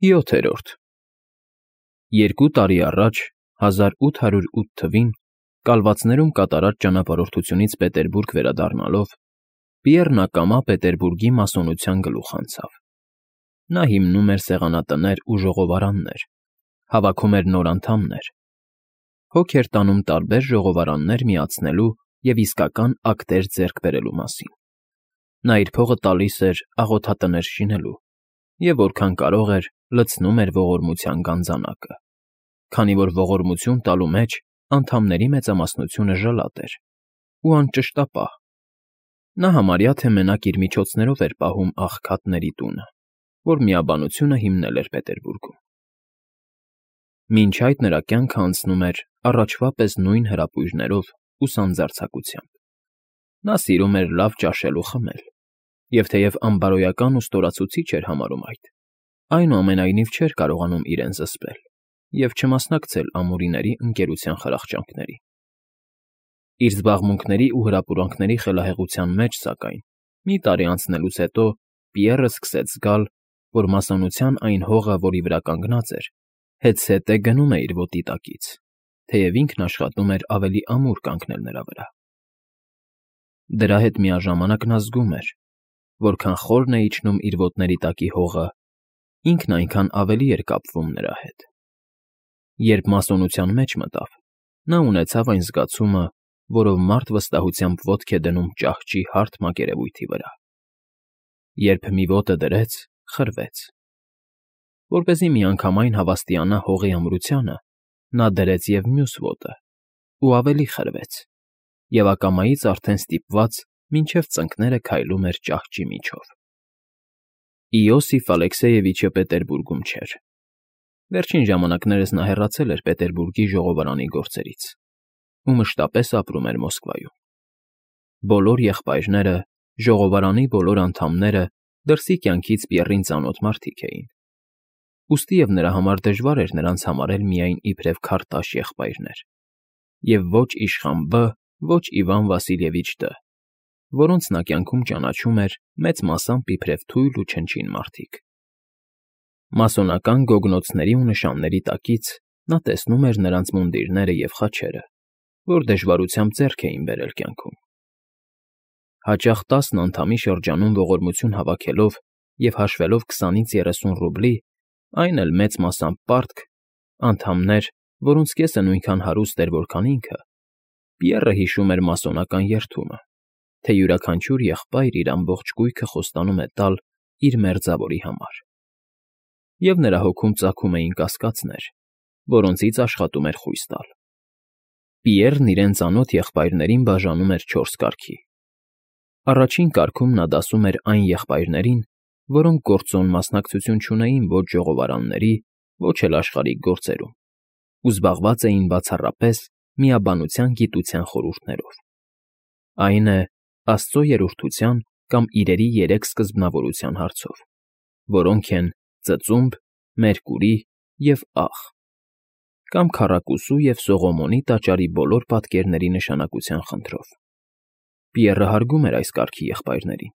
7-րդ Երկու տարի առաջ, 1808 թվին, կալվածներում կատարած ճանապարհորդությունից Պետերբուրգ վերադառնալով, Պիեռն ակամա Պետերբուրգի մասոնության գլուխ անցավ. նա հիմնում էր սեղանատներ ու ժողովարաններ, հավաքում էր նոր անդամներ, հոգ էր տանում տարբեր ժողովարաններ միացնելու և իսկական ակտեր ձեռք բերելու մասին. նա իր փողը տալիս էր աղոթատներ շինելու և որքան կարող էր, լցնում էր ողորմության գանձանակը, քանի որ ողորմություն տալու մեջ անդամների մեծամասնությունը ժլատ էր ու անճշտապահ. նա համարյա թե մենակ իր միջոցներով էր պահում աղքատների տունը, որ միաբանությունը հիմնել էր Պետերբուրգում։ Մինչ այդ նրա կյանքը անցնում էր առաջվա պես նույն հրապույրներով ու սանձարձակությամբ. նա սիրում էր լավ ճաշել ու խմել, և թեև անբարոյական ու ստորացուցիչ էր համարում այդ, այնուամենայնիվ չէր կարողանում իրեն զսպել և չմասնակցել ամուրիների ընկերության խրախճանքներին։ Իր զբաղմունքների ու հրապուրանքների խելահեղության մեջ, սակայն, մի տարի անցնելուց հետո Պիեռը սկսեց զգալ, որ մասոնության այն հողը, որի վրա կանգնած էր, հետզհետե գնում է իր ոտի տակից, թեև ինքն աշխատում էր ավելի ամուր կանգնել նրա վրա։ Դրա հետ միաժամանակ նա զգում էր, որքան խորն է իջնում իր ոտների տակի հողը, ինքն այնքան ավելի էր կապվում նրա հետ։ Երբ մասոնության մեջ մտավ, նա ունեցավ այն զգացումը, որով մարդ վստահությամբ ոտք է դնում ճահճի հարթ մակերևույթի վրա. երբ մի ոտը դրեց, խրվեց։ Որպեսզի միանգամայն հավաստիանա հողի ամրությանը, նա դրեց և մյուս ոտը ու ավելի խրվեց, և ակամայից արդեն ստիպված մինչև ծնկները քայլում էր ճահճի միջով։ Իոսիֆ Ալեքսեյևիչը Պետերբուրգում չէր։ Վերջին ժամանակներս նա հեռացել էր Պետերբուրգի ժողովարանի գործերից ու մշտապես ապրում էր Մոսկվայում։ Բոլոր եղբայրները, ժողովարանի բոլոր անդամները դրսի կյանքից Պիեռին ծանոթ մարդիկ էին, ուստի և նրա համար դժվար էր նրանց համարել միայն իբրև քարտաշ եղբայրներ, և ոչ իշխան Բ, ոչ Իվան Վասիլևիչ Դ, որոնց նա կյանքում ճանաչում էր մեծ մասամբ իբրև թույլ ու չնչին մարդիկ։ Մասոնական գոգնոցների ու նշանների տակից նա տեսնում էր նրանց մունդիրները և խաչերը, որ դժվարությամբ ձեռք էին բերել կյանքում։ Հաճախ 10 անդամի շրջանում ողորմություն հավաքելով և հաշվելով 20-ից 30 ռուբլի, այն էլ մեծ մասամբ պարտք, անդամներ, որոնց կեսը նույնքան հարուստ էր, որքան ինքը, Պիեռը հիշում էր մասոնական երդումը, թե յուրաքանչյուր եղբայր իր ամբողջ կույքը խոստանում է տալ իր մերձավորի համար։ Եվ նրա հոգում ծագում էին կասկածներ, որոնցից աշխատում էր խույս տալ։ Պիեռն իրեն ծանոթ եղբայրներին բաժանում էր 4 կարգի։ Առաջին կարգում նա դասում էր այն եղբայրներին, որոնք գործոն մասնակցություն չունեին ոչ ժողովարանների, ոչ էլ աշխարհիկ գործերում, ու զբաղված էին բացառապես միաբանության գիտության խորհուրդներով, այն է, Աստծո երրորդության կամ իրերի 3 սկզբնավորության հարցով, որոնք են ծծումբ, Մերկուրի և Աղ, կամ քառակուսու և Սողոմոնի տաճարի բոլոր պատկերների նշանակության խնդրով։ Պիեռը հարգում էր այս կարգի եղբայրներին,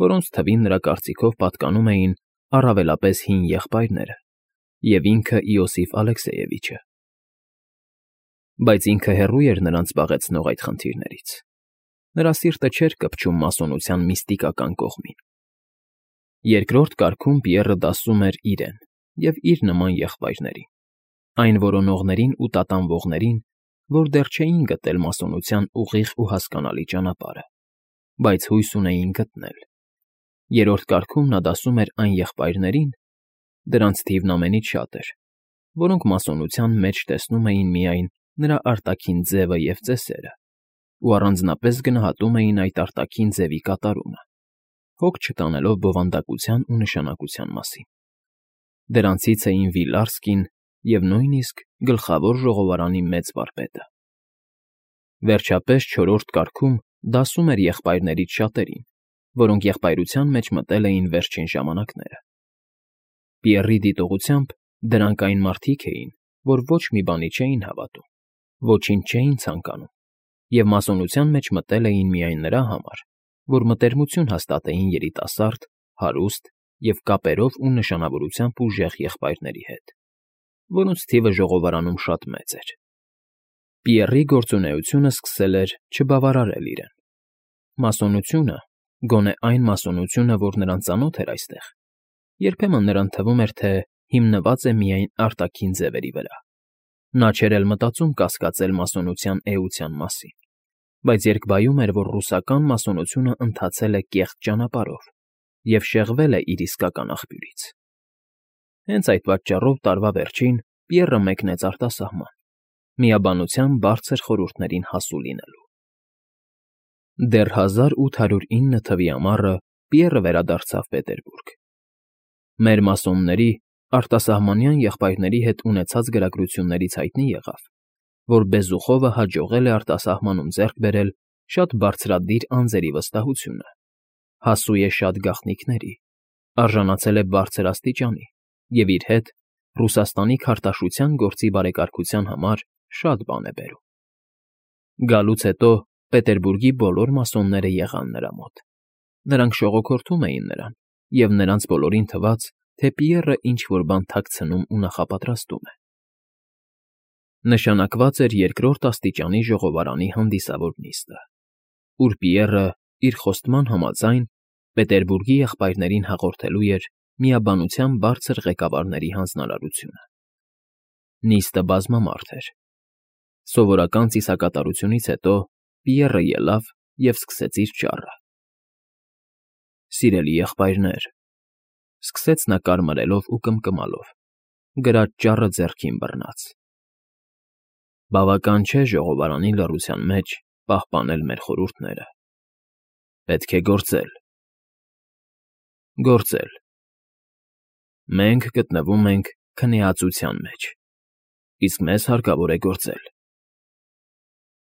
որոնց թվին նրա կարծիքով պատկանում էին առավելապես հին եղբայրները և ինքը Իոսիֆ Ալեքսեյևիչը։ Բայց ինքը հեռու էր նրանց զբաղեցնող այդ խնդիրներից։ Նրա սիրտը չէր կպչում մասոնության միստիկական կողմին։ Երկրորդ կարգում Պիեռը դասում էր իրեն և իր նման եղբայրներին, այն որոնողներին ու տատանվողներին, որ դեռ չէին գտել մասոնության ուղիղ ու հասկանալի ճանապարհը, բայց հույս ունեին գտնել։ Երրորդ կարգում նա դասում էր այն եղբայրներին, դրանց թիվն ամենից շատ էր, որոնք մասոնության մեջ տեսնում էին միայն նրա արտաքին ձևը և ծեսերը ու առանձնապես գնահատում էին այդ արտաքին ձևի կատարումը, հոգ չտանելով բովանդակության ու նշանակության մասին։ Դրանցից էին Վիլարսկին և նույնիսկ գլխավոր ժողովարանի մեծ վարպետը։ Վերջապես 4-րդ կարգում դասում էր եղբայրներից շատերին, որոնք եղբայրության մեջ մտել էին վերջին ժամանակները։ Պիեռի դիտողությամբ դրանք այն մարդիկ էին, որ ոչ մի բանի չէին հավատում, ոչինչ չէին ցանկանում, և մասոնության մեջ մտել էին միայն նրա համար, որ մտերմություն հաստատեին երիտասարդ, հարուստ և կապերով ու նշանավորությամբ ուժեղ եղբայրների հետ, որոնց թիվը ժողովարանում շատ մեծ էր։ Պիեռի գործունեությունը սկսել էր չբավարարել իրեն։ Մասոնությունը, գոնե այն մասոնությունը, որ նրան ծանոթ էր այստեղ, երբեմն նրան թվում էր, թե հիմնված է միայն արտաքին ձևերի վրա։ Նա չէր էլ մտածում կասկածել մասոնության էության մասին, բայց երկբայում էր, որ ռուսական մասոնությունը ընթացել է կեղծ ճանապարհով և շեղվել է իր իսկական աղբյուրից։ Հենց այդ պատճառով տարվա վերջին Պիեռը մեկնեց արտասահման, միաբանության բարձր խորհուրդներին հասու լինելու։ Դեռ 1809 թվի ամառը Պիեռը վերադարձավ Պետերբուրգ։ Մեր մասոնների արտասահմանյան եղբայրների հետ ունեցած գրագրություններից հայտնի եղավ, որ Բեզուխովը հաջողել է արտասահմանում ձեռք բերել շատ բարձրադիր անձերի վստահությունը, հասու է շատ գաղտնիքների, արժանացել է բարձր աստիճանի և իր հետ Ռուսաստանի քարտաշության գործի բարեկարգության համար շատ բան է բերում։ Գալուց հետո Պետերբուրգի բոլոր մասոնները եղան նրա մոտ։ Նրանք շողոքորթում էին նրան, և նրանց բոլորին թվաց, թե Պիեռը ինչ-որ բան թաքցնում ու նախապատրաստում է։ Նշանակված էր երկրորդ աստիճանի ժողովարանի հանդիսավոր նիստը, ուր Պիեռը, իր խոստման համաձայն, Պետերբուրգի եղբայրներին հաղորդելու էր միաբանության բարձր ղեկավարների հանձնարարությունը։ Նիստը բազմամարդ էր։ Սովորական ծիսակատարությունից հետո Պիեռը ելավ և սկսեց իր ճառը։ «Սիրելի եղբայրներ,֊ սկսեց նա կարմրելով ու կմկմալով, գրած ճառը ձեռքին բռնած,֊ բավական չէ ժողովարանի լռության մեջ պահպանել մեր խորհուրդները։ Պետք է գործել։ Գործել։ Մենք գտնվում ենք քնեածության մեջ, իսկ մեզ հարկավոր է գործել»։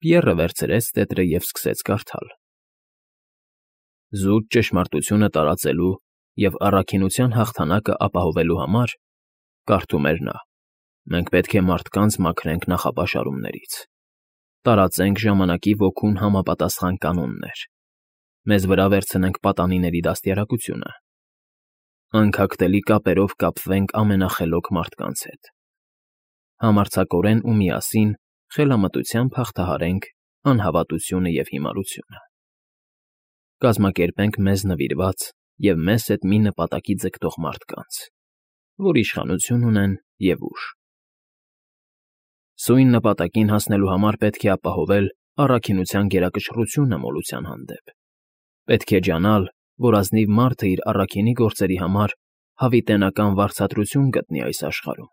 Պիեռը վերցրեց տետրը և սկսեց կարդալ։ «Զուտ ճշմարտությունը տարածելու և առաքինության հաղթանակը ապահովելու համար,֊ կարդում էր նա,֊ մենք պետք է մարդկանց մաքրենք նախապաշարումներից, տարածենք ժամանակի ոգուն համապատասխան կանոններ, մեզ վրա վերցնենք պատանիների դաստիարակությունը, անքակտելի կապերով կապվենք ամենախելոք մարդկանց հետ, համարձակորեն ու միասին խելամտությամբ հաղթահարենք անհավատությունը և հիմարությունը, կազմակերպենք մեզ նվիրված և մեզ հետ մի նպատակի ձգտող մարդկանց, որ իշխանություն ունեն և ուժ։ Սույն նպատակին հասնելու համար պետք է ապահովել առաքինության գերակշռությունը մոլության հանդեպ։ Պետք է ջանալ, որ ազնիվ մարդը իր առաքինի գործերի համար հավիտենական վարձատրություն գտնի այս աշխարհում։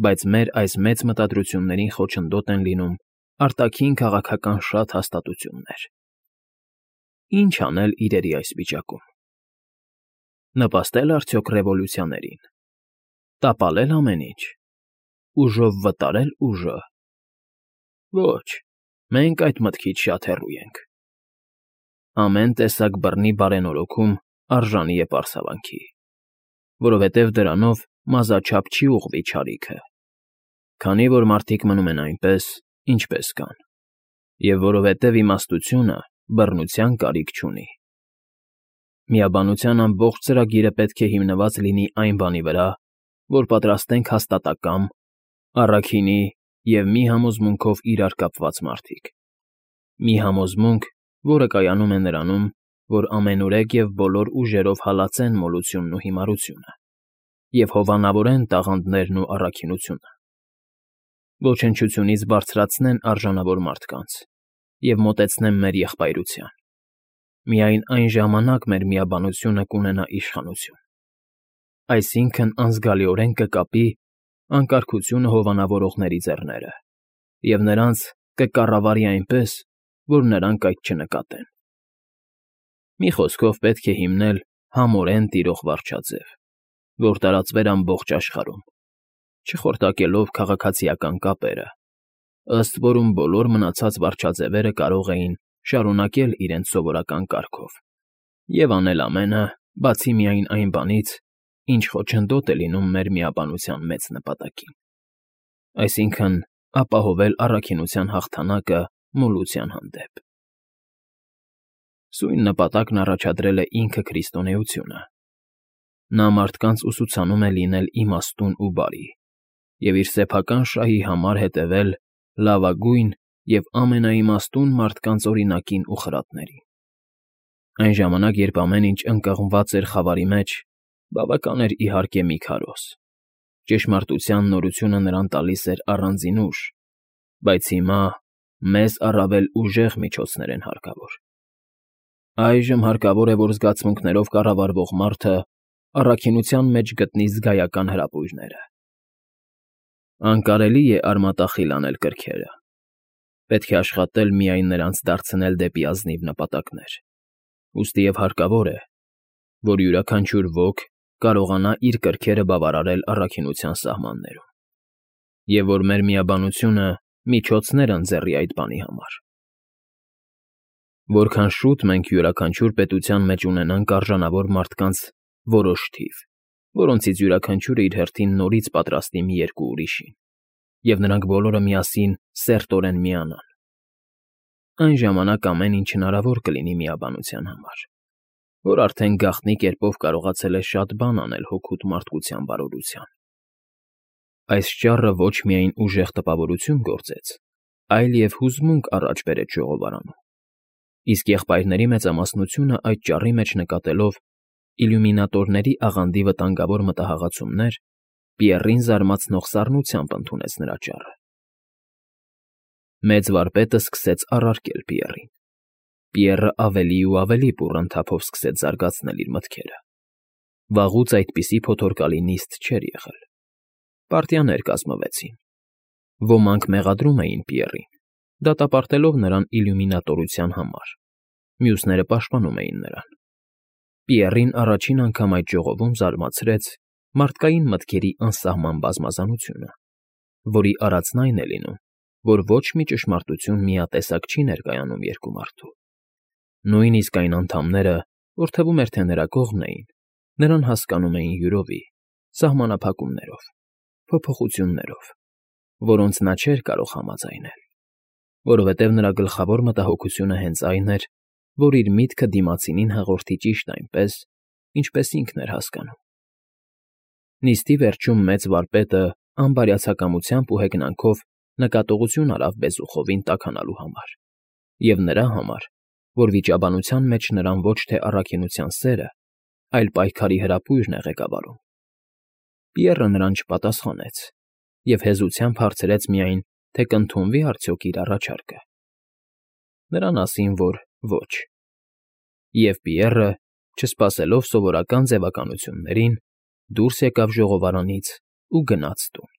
Բայց մեր այս մեծ մտադրություններին խոչընդոտ են լինում արտաքին քաղաքական շատ հաստատություններ։ Ինչ անել իրերի այս վիճակում։ Նպաստե՞լ արդյոք ռևոլյուցիաներին։ Տապալե՞լ ամեն ինչ։ Ուժով վտարե՞լ ուժը։ Ոչ, մենք այդ մտքից շատ հեռու ենք։ Ամեն տեսակ բռնի բարենորոգում արժանի է պարսավանքի, որովհետև դրանով մազաչափ չի ուղղվի չարիքը, քանի որ մարդիկ մնում են այնպես, ինչպես կան, և որովհետև իմաստությունը բռնության կարիք չունի։ Միաբանության ամբողջ ծրագիրը պետք է հիմնված լինի այն բանի վրա, որ պատրաստենք հաստատակամ, առաքինի և մի համոզմունքով իրար կապված մարդիկ։ Մի համոզմունք, որը կայանում է նրանում, որ ամենուրեք և բոլոր ուժերով հալածեն մոլությունն ու հիմարությունը և հովանավորեն տաղանդներն ու առաքինությունը, ոչնչությունից բարձրացնեն արժանավոր մարդկանց և մոտեցնեն մեր եղբայրության։ Միայն այն ժամանակ մեր միաբանությունը կունենա իշխանություն, այսինքն անզգալիորեն կկապի անկարգությունը հովանավորողների ձեռները և նրանց կկառավարի այնպես, որ նրանք այդ չնկատեն։ Մի խոսքով պետք է հիմնել համորեն տիրող վարչաձև, որ տարածվեր ամբողջ աշխարհում, չխորտակելով քաղաքացիական կապերը, ըստ որում բոլոր մնացած վարչաձևերը կարող էին շարունակել իրենց սովորական կարգով և անել ամենը, բացի միայն այն բանից, ինչ խոչընդոտ է լինում մեր միաբանության մեծ նպատակին, այսինքն ապահովել առաքինության հաղթանակը մոլության հանդեպ։ Սույն նպատակն առաջադրել է ինքը քրիստոնեությունը Նա մարդկանց ուսուցանում է լինել իմաստուն ու բարի և իր սեփական շահի համար հետևել լավագույն և ամենաիմաստուն մարդկանց օրինակին ու խրատներին։ Այն ժամանակ, երբ ամեն ինչ ընկղմված էր խավարի մեջ, բավական էր, իհարկե, մի քարոզ. ճշմարտության նորությունը նրան տալիս էր առանձին ուժ, բայց հիմա մեզ առավել ուժեղ միջոցներ են հարկավոր։ Այժմ հարկավոր է, որ զգացմունքներով կառավարվող մարդը առաքինության մեջ գտնի զգայական հրապույրները։ Անկարելի է արմատախիլ անել կրքերը։ Պետք է աշխատել միայն նրանց դարձնել դեպի ազնիվ նպատակներ, ուստիև հարկավոր է, որ յուրաքանչյուր ոք կարողանա իր կրքերը բավարարել առաքինության սահմաններում, և որ մեր միաբանությունը միջոցներ ընձեռի այդ բանի համար։ Որքան շուտ մենք յուրաքանչյուր պետության մեջ ունենանք արժանավոր մարդկանց որոշ թիվ, որոնցից յուրաքանչյուրը իր հերթին նորից պատրաստի մի երկու ուրիշին, և նրանք բոլորը միասին սերտորեն միանան, այն ժամանակ ամեն ինչ հնարավոր կլինի միաբանության համար, որ արդեն գաղտնի կերպով կարողացել է շատ բան անել հօգուտ մարդկության բարօրության։ Այս ճառը ոչ միայն ուժեղ տպավորություն գործեց, այլ և հուզմունք առաջ բերեց ժողովարանում, իսկ եղբայրների մեծամասնությունը այդ ճառի մեջ նկատելով իլյումինատորների աղանդի վտանգավոր մտահղացումներ, Պիեռին զարմացնող սառնությամբ ընդունեց նրա ճառը։ Մեծ վարպետը սկսեց առարկել Պիեռին։ Պիեռը ավելի ու ավելի բուռն թափով սկսեց զարգացնել իր մտքերը։ Վաղուց այդպիսի փոթորկալի նիստ չէր եղել։ Պարտիաներ կազմվեցին։ Ոմանք մեղադրում էին Պիեռին, դատապարտելով նրան իլյումինատորության համար, մյուսները պաշտպանում էին նրան։ Պիեռին առաջին անգամ այդ ժողովում զարմացրեց մարդկային մտքերի անսահման բազմազանությունը, որի արածն այն է լինում, որ ոչ մի ճշմարտություն միատեսակ չի ներկայանում երկու մարդու։ Նույնիսկ այն անդամները, որ թվում էր, թե նրա կողմն էին, նրան հասկանում էին յուրովի, սահմանափակումներով, փոփոխություններով, որոնց նա չէր կարող համաձայնել, որովհետև նրա գլխավոր մտահոգությունը հենց այն էր, որ իր միտքը դիմացինին հաղորդի ճիշտ այնպես, ինչպես ինքն էր հասկանում։ Նիստի վերջում մեծ վարպետը անբարյացակամությամբ ու հեգնանքով նկատողություն արավ բեզուխովին տաքանալու համար, և նրա համար, որ վիճաբանության մեջ նրան ոչ թե առաքինության սերը, այլ պայքարի հրապույրն է ղեկավարում։ Պիեռը նրան չպատասխանեց և հեզությամբ հարցրեց միայն, թե կընդունվի արդյոք իր առաջարկը։ Նրան ասին, որ ոչ։ Եվ Պիեռը, չսպասելով սովորական ձևականություններին, դուրս եկավ ժողովարանից ու գնաց տուն։